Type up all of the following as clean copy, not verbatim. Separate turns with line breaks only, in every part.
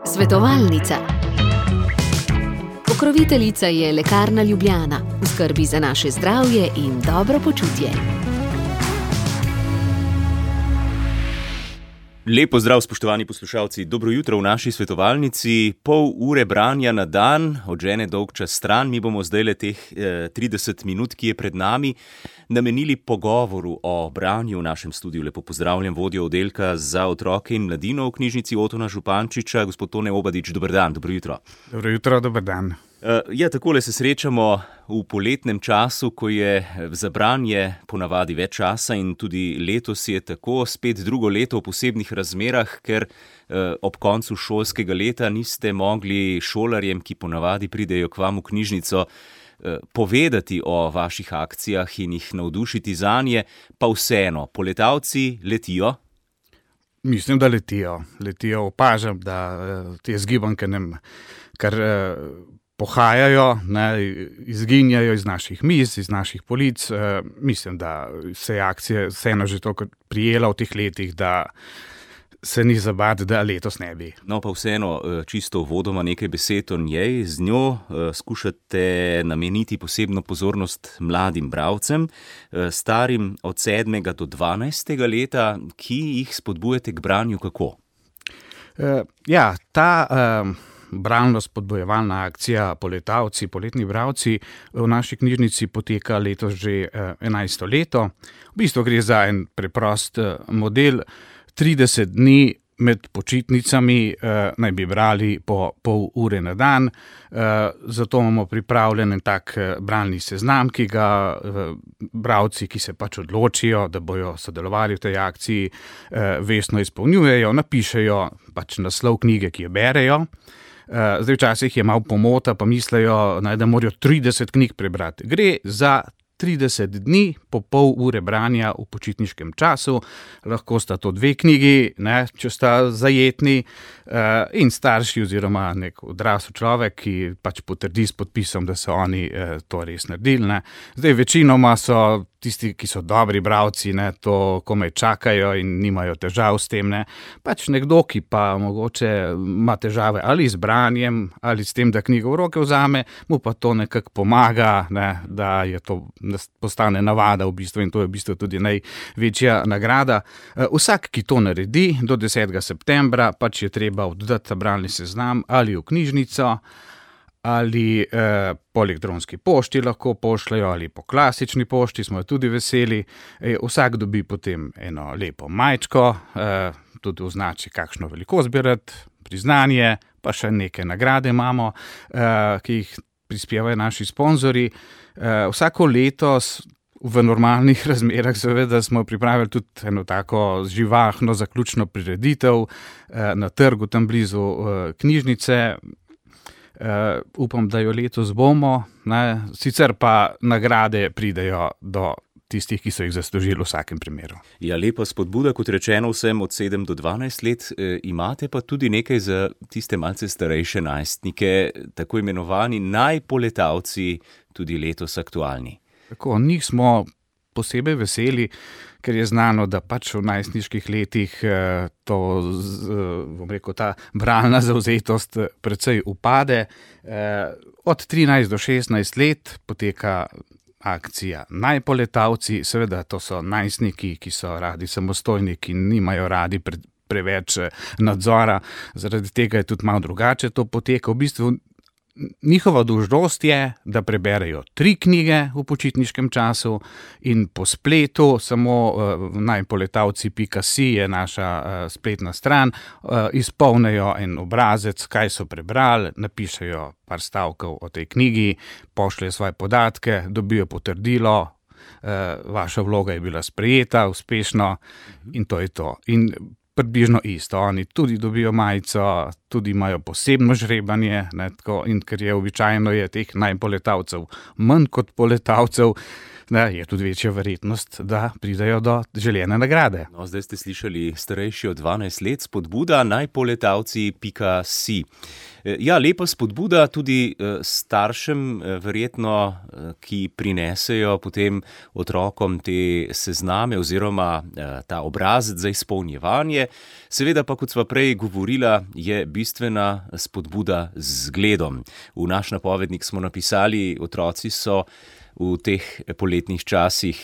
Svetovalnica. Pokroviteljica je Lekarna Ljubljana, v skrbi za naše zdravje in dobro počutje.
Lep pozdrav, spoštovani poslušalci. Dobro jutro v naši svetovalnici. Pol ure branja na dan, odžene dolg čas stran. Mi bomo zdajle teh 30 minut, ki je pred nami, namenili pogovoru o branju v našem studiu. Lepo pozdravljam vodjo oddelka za otroke in mladino v knjižnici Otona Župančiča, gospod Tone Obadič. Dober dan, dobro jutro.
Dobro jutro, dober dan.
Takole se srečamo v poletnem času, ko je za branje ponavadi več časa in tudi letos je tako, spet drugo leto v posebnih razmerah, ker ob koncu šolskega leta niste mogli šolarjem, ki ponavadi pridejo k vam v knjižnico, povedati o vaših akcijah in jih navdušiti zanje, pa vseeno, poletavci letijo?
Mislim, da letijo. Opažam, da te zgibanke kar pohajajo, izginjajo iz naših miz, iz naših polic. Mislim, da se je akcija vseeno že toliko prijela v teh letih, da se ni za bati, da letos ne bi.
No, pa vseeno, čisto uvodoma nekaj besed o njej. Z njo skušate nameniti posebno pozornost mladim bralcem, starim od 7. do 12. leta, ki jih spodbujate k branju kako?
Ta bralno spodbojevalna akcija Poletavci, poletni bralci v naši knjižnici poteka letos že 11. leto. V bistvu gre za en preprost model. 30 dni med počitnicami naj bi brali po pol ure na dan. Zato imamo pripravljen en tak bralni seznam, ki ga bralci, ki se pač odločijo, da bojo sodelovali v tej akciji, vestno izpolnjujejo, napišejo pač naslov knjige, ki jo berejo. Zdaj včasih je malo pomota, pa mislijo, da morajo 30 knjig prebrati. Gre za 30 dni po pol ure branja v počitniškem času. Lahko sta to 2 knjigi, če sta zajetni, in starši oziroma nek odrasel človek, ki pač potrdi s podpisom, da so oni to res naredili. Zdaj večinoma so tisti, ki so dobri bralci, to komaj čakajo in nimajo težav s tem. Pač nekdo, ki pa mogoče ima težave ali z branjem, ali s tem, da knjigo v roke vzame, mu pa to nekako pomaga, da je to postane navada v bistvu, in to je v bistvu tudi največja nagrada. Vsak, ki to naredi do 10. septembra, pač je treba oddati bralni seznam ali v knjižnico, ali po elektronski pošti lahko pošljajo, ali po klasični pošti, smo tudi veseli. Vsak dobi potem eno lepo majčko, tudi označi, kakšno velikost bi rad, priznanje, pa še neke nagrade imamo, ki jih prispevajo naši sponzorji. Vsako leto v normalnih razmerah seveda smo pripravili tudi eno tako živahno zaključno prireditev na trgu tam blizu knjižnice. Upam, da jo letos bomo, sicer pa nagrade pridejo do tistih, ki so jih zaslužili v vsakem primeru.
Ja, lepa spodbuda, kot rečeno, vsem od 7 do 12 let. Imate pa tudi nekaj za tiste malce starejše najstnike, tako imenovani najpoletavci, tudi letos aktualni.
Tako, njih smo posebej veseli, ker je znano, da pač v najstniških letih ta bralna zavzetost precej upade. Od 13 do 16 let poteka akcija Najpoletavci. Seveda to so najstniki, ki so radi samostojni, ki nimajo radi preveč nadzora. Zaradi tega je tudi malo drugače to poteka. V bistvu njihova dolžnost je, da preberejo 3 knjige v počitniškem času in po spletu, samo najpoletavci.si je naša spletna stran, izpolnijo en obrazec, kaj so prebrali, napišejo par stavkov o tej knjigi, pošljejo svoje podatke, dobijo potrdilo, vaša vloga je bila sprejeta uspešno in to je to. In približno isto. Oni tudi dobijo majico, tudi imajo posebno žrebanje, in ker je običajno je teh najpoletavcev manj kot poletavcev, je tudi večja verjetnost, da pridejo do željene nagrade.
No, zdaj ste slišali starejši od 12 let spodbuda najpoletavci.si. Ja, lepa spodbuda tudi staršem, verjetno, ki prinesejo potem otrokom te sezname oziroma ta obrazec za izpolnjevanje. Seveda pa, kot sva prej govorila, je bistvena spodbuda z zgledom. V naš napovednik smo napisali, otroci so v teh poletnih časih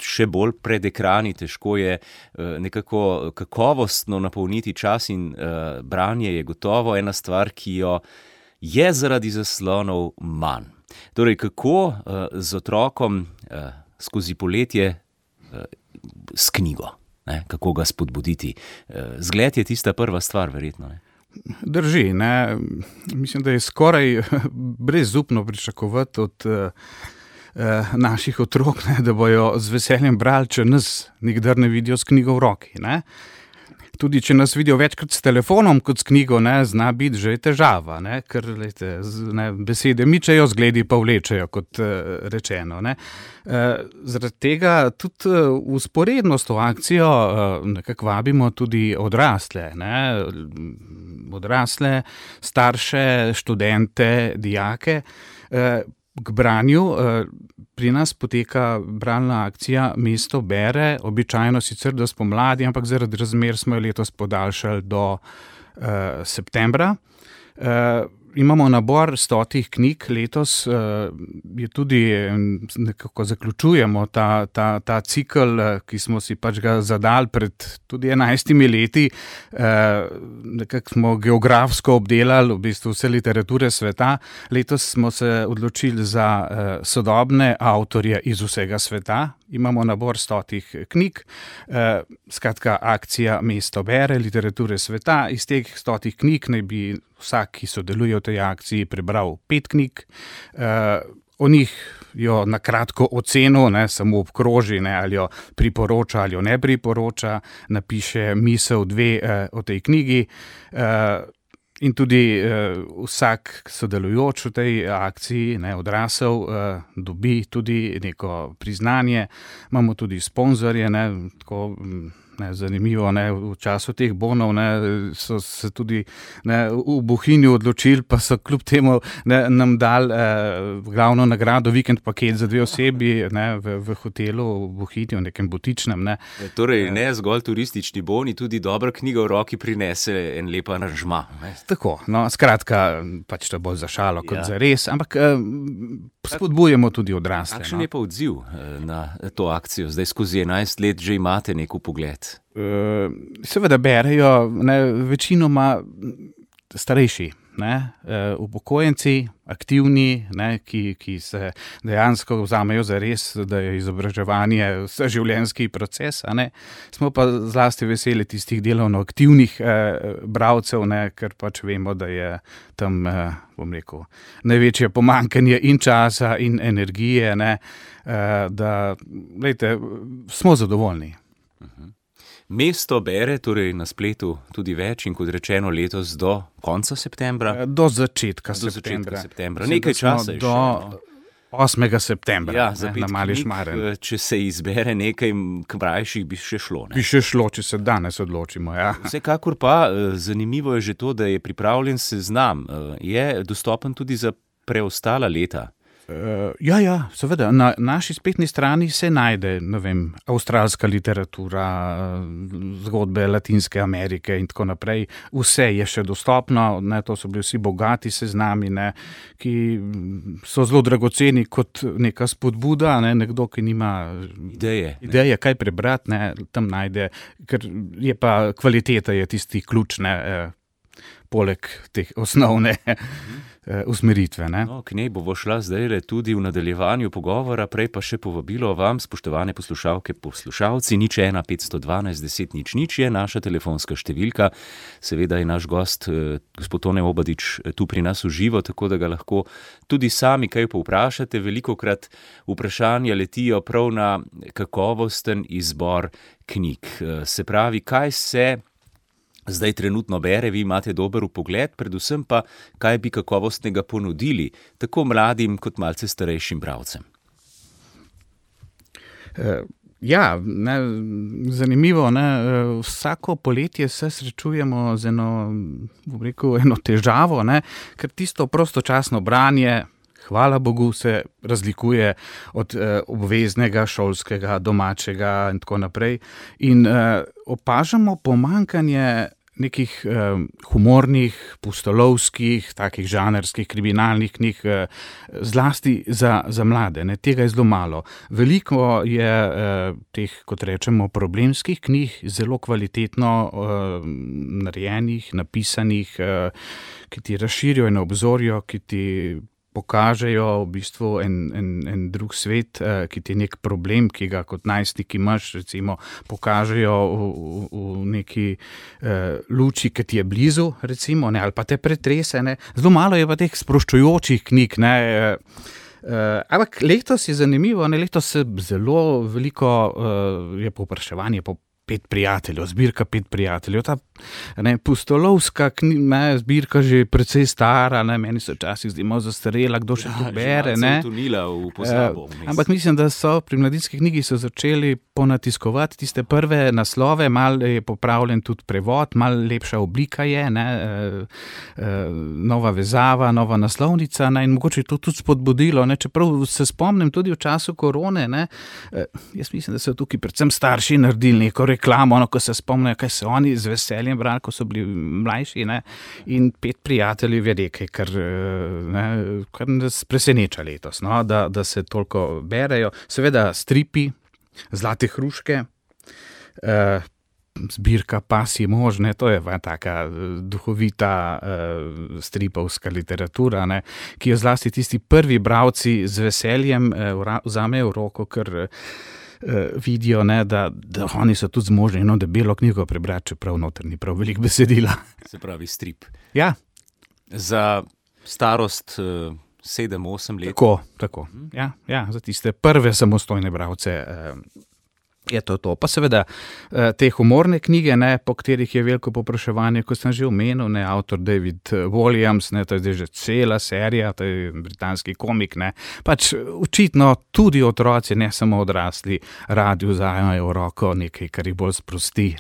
še bolj pred ekrani, težko je nekako kakovostno napolniti čas in branje je gotovo ena stvar, ki jo je zaradi zaslonov manj. Torej, kako z otrokom skozi poletje s knjigo, ne? Kako ga spodbuditi? Zgled je tista prva stvar, verjetno, ne?
Drži, ne? Mislim, da je skoraj brezupno pričakovati od naših otrok, ne, da bojo z veseljem brali, če nas nikdar ne vidijo s knjigo v roki. Ne. Tudi če nas vidijo večkrat s telefonom kot s knjigo, ne, zna biti že težava, ne, ker lejte, besede mičejo, zgledi pa vlečejo, kot rečeno. Ne. Zaradi tega tudi vzporedno s to akcijo nekako vabimo tudi odrasle, ne, odrasle, starše, študente, dijake, k branju. Pri nas poteka bralna akcija Mesto bere, običajno sicer do spomladi, ampak zaradi razmer smo jo letos podaljšali do septembra. Imamo nabor 100 knjig, letos je tudi, nekako zaključujemo ta cikel, ki smo si pač ga zadali pred tudi 11 leti. Nekako smo geografsko obdelali v bistvu vse literature sveta. Letos smo se odločili za sodobne avtorje iz vsega sveta. Imamo nabor 100 knjig, skratka akcija Mesto bere, literature sveta. Iz teh 100 knjig naj bi vsak, ki sodeluje v tej akciji, prebral 5 knjig. O njih jo na kratko oceno, ne, samo obkroži, ne, ali jo priporoča ali jo ne priporoča, napiše misel 2 o tej knjigi. In tudi vsak sodelujoč v tej akciji, ne, odrasel, dobi tudi neko priznanje. Imamo tudi sponzorje, ne, tako, ne, zanimivo, ne, v času teh bonov, ne, so se tudi, ne, v Bohinju odločili, pa so kljub temu, ne, nam dali glavno nagrado, vikend paket za 2 osebi, ne, v hotelu v Bohinju, v nekem butičnem. Ne.
Torej, ne zgolj turistični boni, tudi dobra knjiga v roki prinese en lep aranžma.
Tako, no, skratka, pač to bolj za šalo kot za res, ampak spodbujamo tudi odrasle.
Kakšen je pa odziv na to akcijo? Zdaj skozi 11 let že imate nek vpogled.
Seveda berejo, ne, večinoma starejši, ne, upokojenci, aktivni, ne, ki se dejansko vzamejo za res, da je izobraževanje vseživljenjski proces, a ne. Smo pa zlasti veseli tistih delovno aktivnih bralcev, ne, ker pač vemo, da je tam, bom rekel, največje pomanjkanje in časa in energije, ne, da, glejte, smo zadovoljni.
Mesto bere, torej na spletu tudi več in kot rečeno letos do konca septembra?
Do začetka septembra.
Nekaj časa je
do
še.
8. septembra,
Ja,
na Mali Šmaren.
če se izbere nekaj krajših, bi še šlo, ne?
Bi še šlo, če se danes odločimo, ja.
Vsekakor pa zanimivo je že to, da je pripravljen seznam. Je dostopen tudi za preostala leta?
Ja, seveda. Na naši spletni strani se najde, ne vem, avstralska literatura, zgodbe Latinske Amerike in tako naprej. Vse je še dostopno, ne, to so bili vsi bogati seznami, ne, ki so zelo dragoceni kot neka spodbuda, ne, nekdo, ki nima ideje, kaj prebrati, ne, tam najde, ker je pa kvaliteta je tisti ključ, ne, poleg teh osnovne usmeritve. Ne?
No, k njej bomo šla zdaj tudi v nadaljevanju pogovora, prej pa še povabilo vam, spoštovane poslušalke, poslušalci, 01 512 10 00 je naša telefonska številka. Seveda je naš gost, gospod Tone Obadič, tu pri nas v živo, tako da ga lahko tudi sami kaj povprašate. Velikokrat vprašanja letijo prav na kakovosten izbor knjig. Se pravi, kaj se zdaj trenutno bere, vi imate dober vpogled, predvsem pa, kaj bi kakovostnega ponudili, tako mladim kot malce starejšim bralcem.
Ja, zanimivo. Vsako poletje se srečujemo z eno težavo, ker tisto prostočasno branje, hvala Bogu, se razlikuje od obveznega, šolskega, domačega in tako naprej. In opažamo pomanjkanje nekih humornih, pustolovskih, takih žanrskih, kriminalnih knjig, zlasti za mlade. Tega je zelo malo. Veliko je teh, kot rečemo, problemskih knjig, zelo kvalitetno narejenih, napisanih, ki ti razširijo in obzorijo, ki ti pokažejo v bistvu en drug svet, ki ti je nek problem, ki ga kot najstnik imaš, recimo, pokažejo v neki luči, ki ti je blizu, recimo, ali pa te pretrese. Zelo malo je pa teh sproščujočih knjig. Ampak letos je zanimivo, letos se zelo veliko je povpraševanje po Pet prijateljev, zbirka Pet prijateljev. Ta pustolovska zbirka že precej stara, meni se včasih zdi malo zastarela, kdo še to bere. Ampak mislim, da so pri Mladinski knjigi so začeli ponatiskovati tiste prve naslove, malo je popravljen tudi prevod, malo lepša oblika je, nova vezava, nova naslovnica, in mogoče je to tudi spodbudilo, čeprav se spomnim tudi v času korone, jaz mislim, da so tukaj predvsem starši naredili neko reklamo, ko se spomnijo, kaj so oni z veseljem brali, ko so bili mlajši, in Pet prijateljev je nekaj, kar nas preseneča letos, da se toliko berejo. Seveda stripi, Zlate hruške, zbirka Pasji mož, to je taka duhovita stripovska literatura, ki jo zlasti tisti prvi bralci z veseljem vzamejo v roko, ker vidijo, da oni so tudi zmožni eno debelo knjigo prebrati, čeprav noter ni prav veliko besedila.
Se pravi strip.
Ja.
Za starost 7-8 let.
Tako. Ja, za tiste prve samostojne bralce je to. Pa seveda te humorne knjige, po katerih je veliko povpraševanje, kot sem že omenil, avtor David Walliams, to je zdaj že cela serija, to je britanski komik, pač očitno tudi otroci, ne samo odrasli, radi vzajemajo v roko nekaj, kar jih bolj sprosti,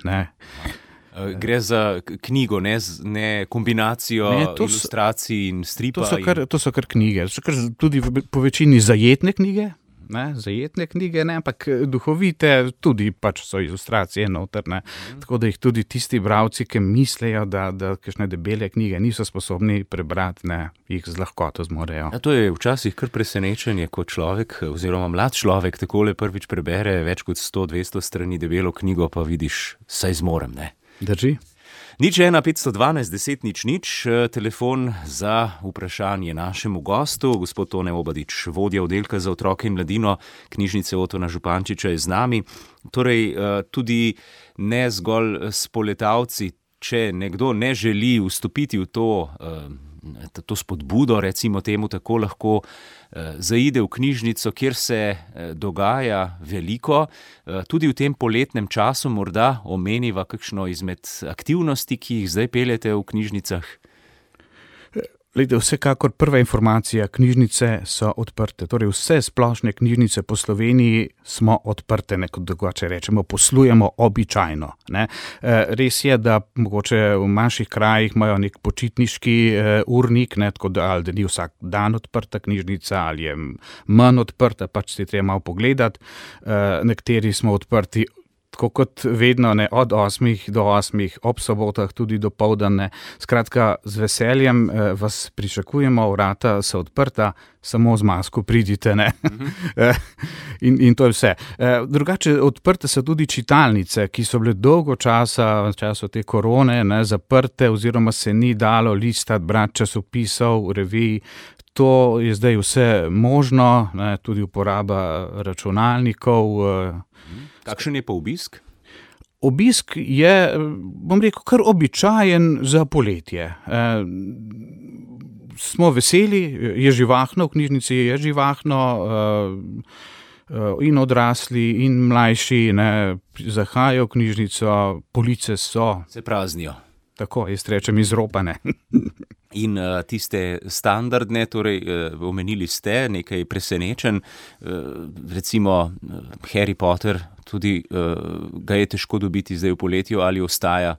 Gre za knjigo, ne kombinacijo ilustracij in stripa.
To so kar knjige, so kar tudi po večini zajetne knjige, ampak duhovite, tudi pač so ilustracije noter, tako da jih tudi tisti bralci, ki mislijo, da kakšne debele knjige niso sposobni prebrati, jih z lahkoto zmorejo.
To je včasih kar presenečenje, ko človek oziroma mlad človek takole prvič prebere več kot 100-200 strani debelo knjigo, pa vidiš, saj zmorem,
Drži.
01510 telefon za vprašanje našemu gostu. Gospod Tone Obadič, vodja oddelka za otroke in mladino knjižnice Otona Župančiča je z nami. Torej, tudi ne zgolj spoletavci, če nekdo ne želi vstopiti v to spodbudo, recimo temu tako, lahko zaide v knjižnico, kjer se dogaja veliko. Tudi v tem poletnem času morda omeniva kakšno izmed aktivnosti, ki jih zdaj peljete v knjižnicah?
Glejte, vsekakor prva informacija, knjižnice so odprte, torej vse splošne knjižnice po Sloveniji smo odprte, kot drugače rečemo, poslujemo običajno. Res je, da mogoče v manjših krajih imajo nek počitniški urnik, tako da ni vsak dan odprta knjižnica ali je manj odprta, pač si treba malo pogledati. Nekateri smo odprti tako kot vedno, od 8 do 8, ob sobotah tudi do poldne. Skratka, z veseljem vas pričakujemo, vrata so odprta, samo z masko pridite, In to je vse. Drugače, odprte so tudi čitalnice, ki so bile dolgo časa, v času te korone, zaprte, oziroma se ni dalo listati, brati časopisov, revij. To je zdaj vse možno, tudi uporaba računalnikov.
Kakšen je pa obisk?
Obisk je, bom rekel, kar običajen za poletje. Smo veseli, je živahno, v knjižnici je živahno, in odrasli, in mlajši zahajajo v knjižnico, police so.
Se praznijo.
Tako, jaz rečem izropane.
In tiste standardne, torej omenili ste nekaj presenečen, recimo Harry Potter, tudi ga je težko dobiti zdaj v poletju ali ostaja?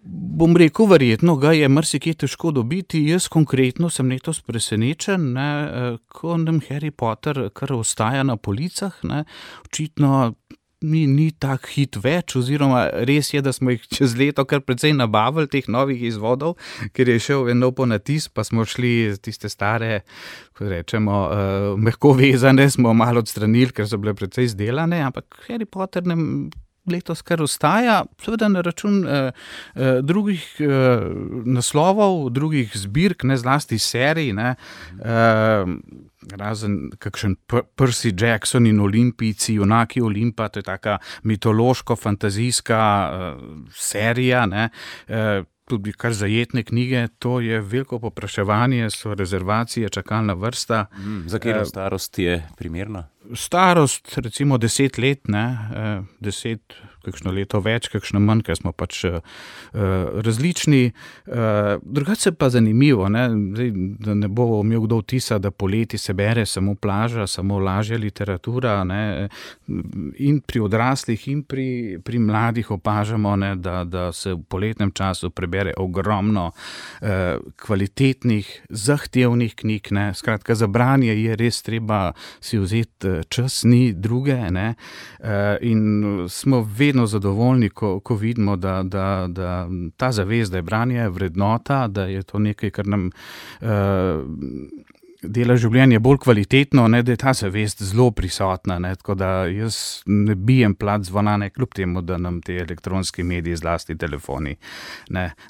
Bom rekel, verjetno ga je marsikje težko dobiti. Jaz konkretno sem letos presenečen, ko nam Harry Potter kar ostaja na policah, očitno ni tak hit več, oziroma res je, da smo jih čez leto kar precej nabavili teh novih izvodov, ker je šel en nov ponatis, pa smo šli tiste stare, ko rečemo, mehko vezane, smo malo odstranili, ker so bile precej izdelane, ampak Harry Potter nam letos kar ostaja, seveda na račun drugih naslovov, drugih zbirk, zlasti serij, razen kakšen Percy Jackson in Olimpijci, junaki Olimpa, to je taka mitološko-fantazijska serija, tudi kar zajetne knjige, to je veliko povpraševanje, so rezervacije, čakalna vrsta.
Za katero starost je primerna?
Starost, recimo 10 let, 10, kakšno leto več, kakšno manj, ker smo pač različni. Drugače pa zanimivo, zdaj, da ne bo imel kdo vtisa, da poleti se bere samo plaža, samo lažja literatura, in pri odraslih in pri mladih opažamo, da se v poletnem času prebere ogromno kvalitetnih, zahtevnih knjig, Skratka, za branje je res treba si vzeti čas, ni druge, in smo vedno zadovoljni, ko vidimo, da ta zavest, da je branje vrednota, da je to nekaj, kar nam dela življenje bolj kvalitetno, da je ta zavest zelo prisotna, tako da jaz ne bijem plat zvona, kljub temu, da nam te elektronski mediji, zlasti telefoni,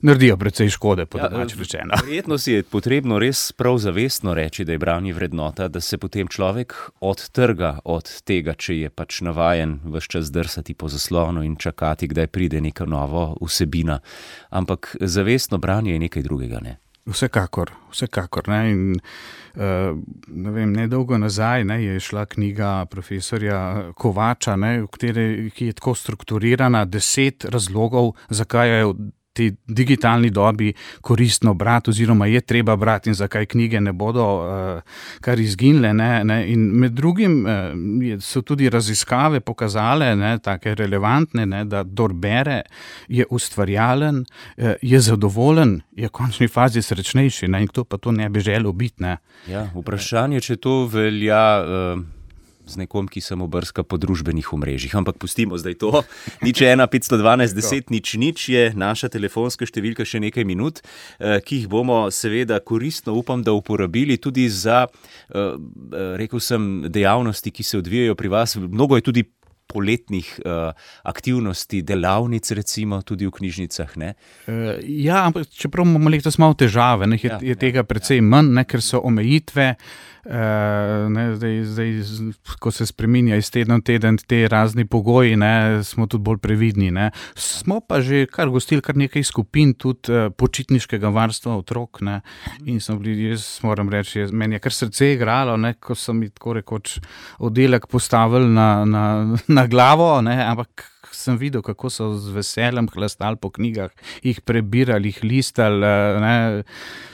naredijo precej škode, po domače rečeno.
Verjetno si je potrebno res prav zavestno reči, da je branje vrednota, da se potem človek odtrga od tega, če je pač navajen ves čas drsati po zaslonu in čakati, kdaj pride neka nova vsebina. Ampak zavestno branje je nekaj drugega,
Vsekakor. In nedolgo nazaj je šla knjiga profesorja Kovača, ki je tako strukturirana, 10 razlogov, zakaj je v tej digitalni dobi koristno brati, oziroma je treba brati in zakaj knjige ne bodo kar izginile. In med drugim so tudi raziskave pokazale, take relevantne, da kdor bere, je ustvarjalen, je zadovoljen, je v končni fazi srečnejši, in kdo pa to ne bi želel biti.
Ja, vprašanje, če to velja z nekom, ki samo brska po družbenih omrežjih. Ampak pustimo zdaj to. 015121000 je naša telefonska številka, še nekaj minut, ki jih bomo seveda koristno, upam, da uporabili tudi za, rekel sem, dejavnosti, ki se odvijajo pri vas. Mnogo je tudi poletnih aktivnosti, delavnic recimo, tudi v knjižnicah,
Ja, ampak čeprav imamo letos malo težave, je tega precej manj, ker so omejitve, zdaj, ko se spreminja iz tedna v teden te razni pogoji, smo tudi bolj previdni. Smo pa že kar gostili kar nekaj skupin, tudi počitniškega varstva otrok, in jaz moram reči, meni je kar srce igralo, ko so mi tako rekoč oddelek postavili na glavo, ampak sem videl, kako so z veseljem hlastali po knjigah, jih prebirali, jih listali.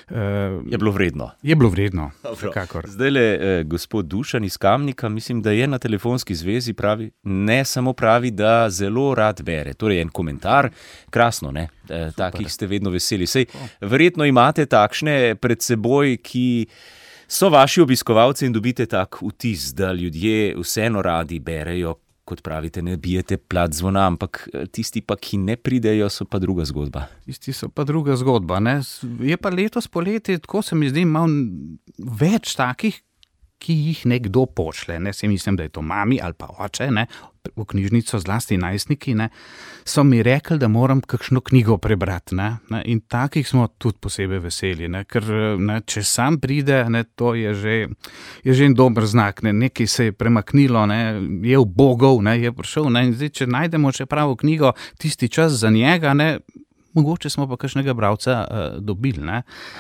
Je bilo vredno.
Je bilo vredno, vsekakor.
Zdajle gospod Dušan iz Kamnika, mislim, da je na telefonski zvezi, pravi, ne samo pravi, da zelo rad bere. Torej en komentar, krasno, takih ste vedno veseli. Sej, verjetno imate takšne pred seboj, ki so vaši obiskovalci in dobite tak vtis, da ljudje vseeno radi berejo, kot pravite, ne bijete plat zvona, ampak tisti pa, ki ne pridejo, so pa druga zgodba.
Tisti so pa druga zgodba, Je pa letos poleti, tako se mi zdi, malo več takih, ki jih nekdo pošle, Se mislim, da je to mami ali pa oče, v knjižnico, zlasti najstniki, so mi rekli, da moram kakšno knjigo prebrati, in takih smo tudi posebej veseli, ker če sam pride, to je že en dober znak, nekaj se je premaknilo, je ubogel, je prišel, in zdaj, če najdemo še pravo knjigo, tisti čas za njega, mogoče smo pa kakšnega bralca dobili.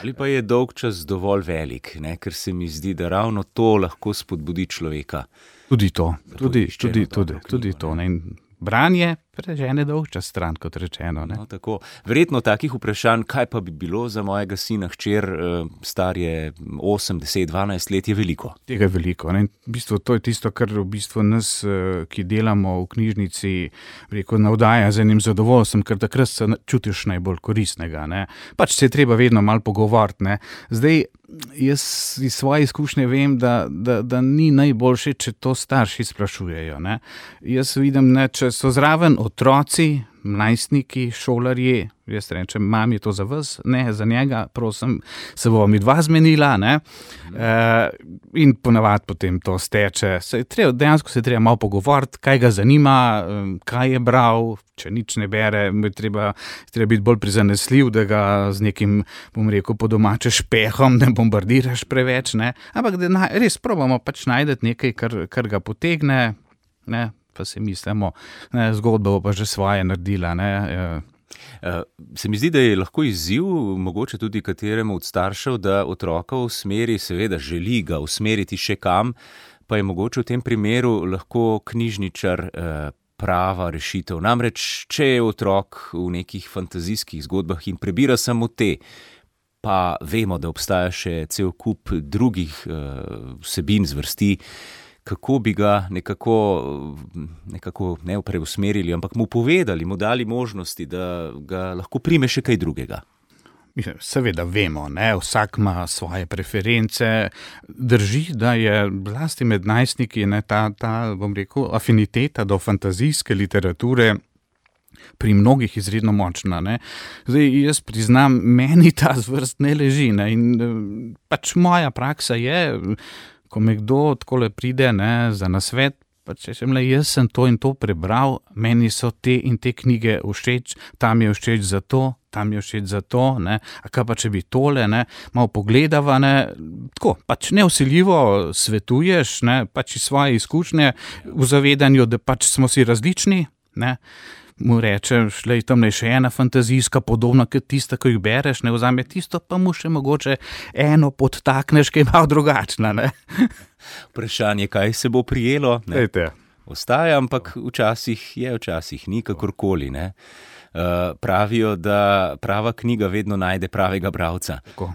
Ali pa je dolg čas dovolj velik, ker se mi zdi, da ravno to lahko spodbudi človeka.
Tudi to. In branje prežene dolgčas stran, kot rečeno. Ne?
No, tako. Verjetno takih vprašanj, kaj pa bi bilo za mojega sina, hčer, star je 8, 10, 12 let, je veliko.
Tega je veliko. Ne? V bistvu, to je tisto, kar v bistvu nas, ki delamo v knjižnici, navdaja z enim zadovoljstvom, ker takrat se čutiš najbolj koristnega. Ne? Pač se je treba vedno malo pogovoriti. Ne? Zdaj, jaz iz svoje izkušnje vem, da ni najboljše, če to starši sprašujejo. Ne? Jaz vidim, ne, če so zraven otroci, mladostniki, šolarji, jaz rečem, mam, je to za vas, ne, za njega, prosim, se bova midva zmenila, ne, in ponavadi potem to steče. Dejansko se treba malo pogovoriti, kaj ga zanima, kaj je bral, če nič ne bere, treba biti bolj prizanesljiv, da ga z nekim, bom rekel, po domače špehom ne bombardiraš preveč, ne, ampak da res probamo pač najdeti nekaj, kar ga potegne, ne, pa si mislimo, zgodba bo pa že svoje naredila. Ne.
Se mi zdi, da je lahko izziv, mogoče tudi kateremu od staršev, da otroka usmeri, seveda želi ga usmeriti še kam, pa je mogoče v tem primeru lahko knjižničar prava rešitev. Namreč, če je otrok v nekih fantazijskih zgodbah in prebira samo te, pa vemo, da obstaja še cel kup drugih vsebin, zvrsti, kako bi ga nekako ne preusmerili, ampak mu povedali, mu dali možnosti, da ga lahko prime še kaj drugega.
Seveda vemo, ne? Vsak ima svoje preference. Drži, da je zlasti med najstniki ta, bom rekel, afiniteta do fantazijske literature pri mnogih izredno močna. Ne? Zdaj, jaz priznam, meni ta zvrst ne leži. Ne? In pač moja praksa je, ko me kdo takole pride, ne, za nasvet, pa če jaz sem to in to prebral, meni so te in te knjige všeč, tam je všeč za to, tam je všeč za to, ne, a kaj pa če bi tole, ne, malo pogledava, ne, tako, pač nevsiljivo svetuješ, ne, pač iz svoje izkušnje, v zavedanju, da pač smo si različni, ne, mu rečeš, tam je še ena fantazijska, podobna kot tista, ko jih bereš, ne, vzame tisto, pa mu še mogoče eno podtakneš, ki je malo drugačna, ne.
Vprašanje, kaj se bo prijelo, ne, ostaja, ampak včasih je, včasih ni, kakorkoli, ne. Pravijo, da prava knjiga vedno najde pravega bralca.
Tako.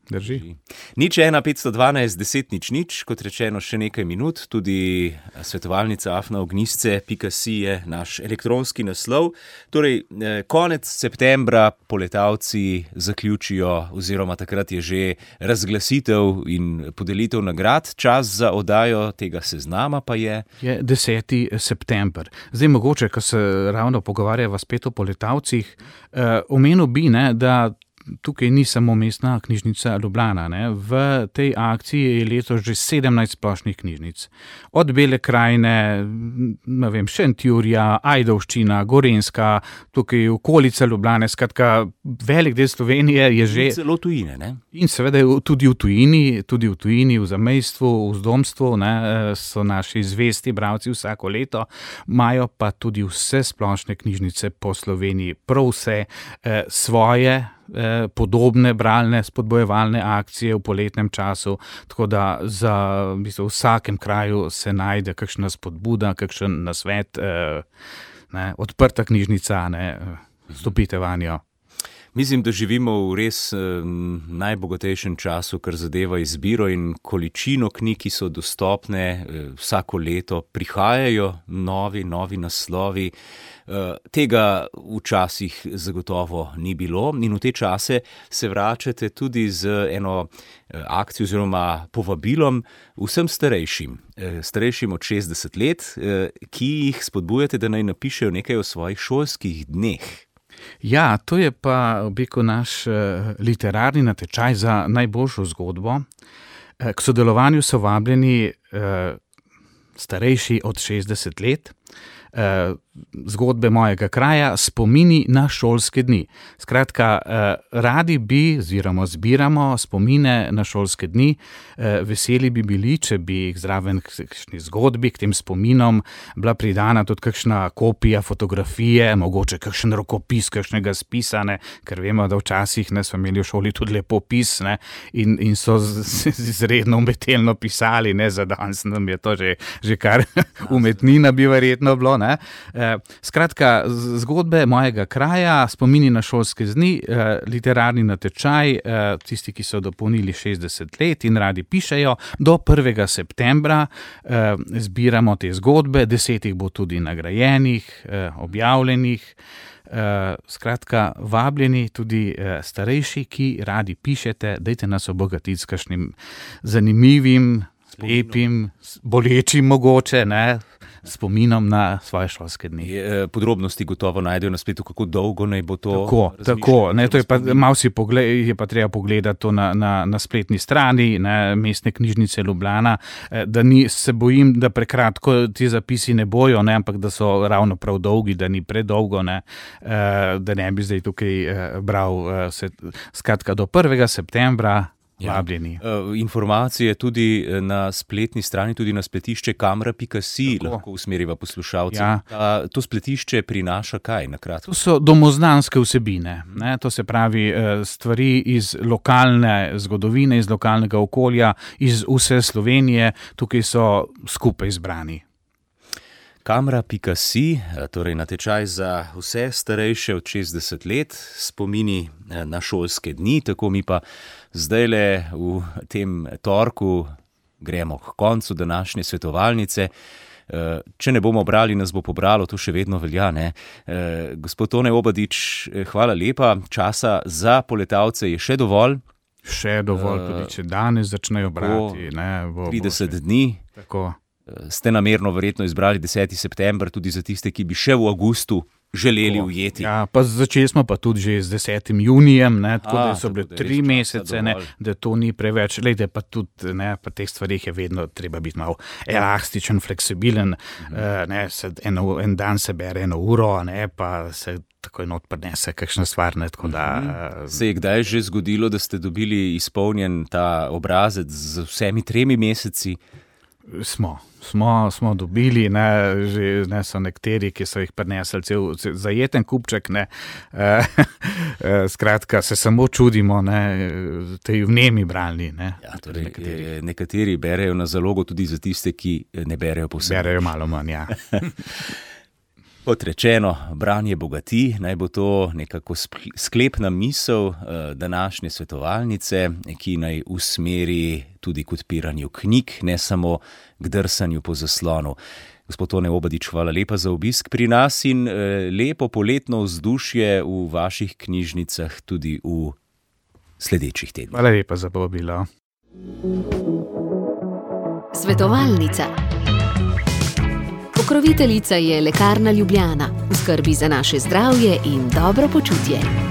Drži.
0,1-512-10-0, kot rečeno, še nekaj minut, tudi svetovalnica afnaognisce.si je naš elektronski naslov. Torej, konec septembra poletavci zaključijo, oziroma takrat je že razglasitev in podelitev nagrad. Čas za oddajo tega seznama pa je
10. september. Zdaj mogoče, ko se ravno pogovarjava spet o poletavcih, omenil bi, ne, da tukaj ni samo Mestna knjižnica Ljubljana. Ne. V tej akciji je letos že 17 splošnih knjižnic. Od Bele krajine, ne vem, Šentjurja, Ajdovščina, Gorenjska, tukaj okolica Ljubljane, skratka, velik del Slovenije je že...
Celo tujine, ne?
In seveda tudi v tujini, v zamejstvu, v zdomstvu, ne, so naši zvesti bralci vsako leto, imajo pa tudi vse splošne knjižnice po Sloveniji, prav vse svoje podobne bralne spodbojevalne akcije v poletnem času, tako da v vsakem kraju se najde kakšna spodbuda, kakšen nasvet, odprta knjižnica, stopite vanjo.
Mislim, da živimo v res najbogatejšem času, kar zadeva izbiro in količino knjig, ki so dostopne vsako leto. Prihajajo novi naslovi. Tega včasih zagotovo ni bilo in v te čase se vračate tudi z eno akcijo oziroma povabilom vsem starejšim od 60 let, ki jih spodbujate, da naj napišejo nekaj o svojih šolskih dneh.
Ja, to je pa naš literarni natečaj za najboljšo zgodbo. K sodelovanju so vabljeni starejši od 60 let, zgodbe mojega kraja, spomini na šolske dni. Skratka, radi bi, oziroma zbiramo spomine na šolske dni, veseli bi bili, če bi jih zraven kakšni zgodbi, k tem spominom bila pridana tudi kakšna kopija fotografije, mogoče kakšen rokopis, kakšnega spisa, ne, ker vemo, da včasih smo imeli v šoli tudi lepopis, ne, in so izredno umetelno pisali, ne, za danes nam je to že kar umetnina bi verjetno bilo, ne. Ne? Skratka, zgodbe mojega kraja, spomini na šolske dni, literarni natečaj, tisti, ki so dopolnili 60 let in radi pišejo, do 1. septembra zbiramo te zgodbe, 10 bo tudi nagrajenih, objavljenih. Skratka, vabljeni tudi starejši, ki radi pišete, dajte nas obogatiti s kakšnim zanimivim, lepim, bolečim mogoče, ne, spominom na svoje šolske dni.
Podrobnosti gotovo najdejo na spletu, kako dolgo naj bo to.
Tako, ne, to je pa malo je pa treba pogledati to na spletni strani, ne, Mestne knjižnice Ljubljana, da se bojim, da prekratko ti zapisi ne bojo, ne, ampak da so ravno prav dolgi, da ni predolgo, ne, da ne bi zdaj tukaj bral skratka do 1. septembra. Vabljeni.
Informacije tudi na spletni strani, tudi na spletišče kamera.si lahko usmeriva poslušalce. Ja. To spletišče prinaša kaj, na kratko?
To so domoznanske vsebine, ne? To se pravi stvari iz lokalne zgodovine, iz lokalnega okolja, iz vse Slovenije, tukaj so skupaj zbrani.
Kamera.si, torej natečaj za vse starejše od 60 let, spomini na šolske dni, tako mi pa zdajle v tem torku gremo k koncu današnje svetovalnice. Če ne bomo brali, nas bo pobralo, to še vedno velja, ne? Gospod Tone Obadič, hvala lepa, časa za poletavce je še dovolj.
Še dovolj, tudi če danes začnejo brati.
30 dni.
Tako.
Ste namerno verjetno izbrali 10. september tudi za tiste, ki bi še v avgustu želeli ujeti.
Ja, pa začeli smo pa tudi že z 10. junijem, ne, tako da so bile 3 mesece, ne, da to ni preveč. Lejte, pa tudi ne, pa teh stvarih je vedno treba biti malo elastičen, fleksibilen, ne, en dan se bere 1 uro, ne, pa se takoj not prinese kakšna stvar, ne, tako da...
Se je kdaj že zgodilo, da ste dobili izpolnjen ta obrazec z vsemi 3 meseci?
Smo dobili, ne so nekateri, ki so jih prinesli cel zajeten kupček, ne, skratka, se samo čudimo, ne, tej vnemi bralni, ne.
Ja, torej, nekateri berejo na zalogo tudi za tiste, ki ne berejo povsem.
Berejo malo manj, ja.
Kot rečeno, branje bogati, naj bo to nekako sklepna misel današnje svetovalnice, ki naj usmeri tudi k odpiranju knjig, ne samo k drsanju po zaslonu. Gospod Tone Obadič, hvala lepa za obisk pri nas in lepo poletno vzdušje v vaših knjižnicah tudi v sledečih tednih.
Hvala lepa za povabilo.
Svetovalnica. Pokroviteljica je Lekarna Ljubljana, v skrbi za naše zdravje in dobro počutje.